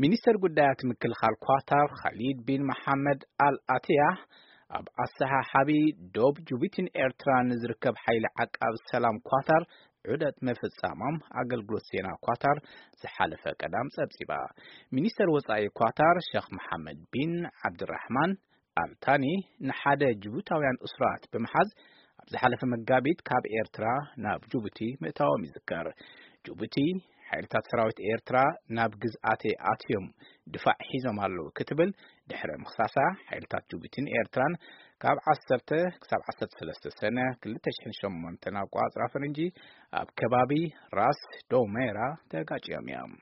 ሚኒስተር ጉዳያት ምክልኻል ኳታር ኻሊድ ቢን መሓመድ ኣል ኣትያ ኣብ ኣሰሓሓቢ ዶብ ጅቡቲን ኤርትራን ንዝርከብ ሓይሊ ዓቃብ ሰላም ኳታር ዑደት ምፍጻሞም ኣገልግሎት ዜና ኳታር ዝሓለፈ ቀዳም ጸብጺባ። ሚኒስተር ወጻኢ ኳታር ሸኽ መሓመድ ቢን ዓብድራሕማን ኣልታኒ ንሓደ ጅቡታውያን እሱራት ብምሓዝ ኣብ ዝሓለፈ መጋቢት ካብ ኤርትራ ናብ ጅቡቲ ምእታዎም ይዝከር። ጅቡቲ ሓይልታት ሰራዊት ኤርትራ ናብ ግዝኣተይ ኣትዮም ድፋዕ ሒዞም ኣለዉ ክትብል ድሕሪ ምኽሳሳ፣ ሓይልታት ጅቡቲን ኤርትራን ካብ ዓሰርተ ክሳብ ዓሰርተ ሰለስተ ሰነ ክልተ ሽሕን ሸሞንተን ኣቋጽራ ፈረንጂ ኣብ ከባቢ ራስ ዶሜራ ተጋጭዮም እዮም።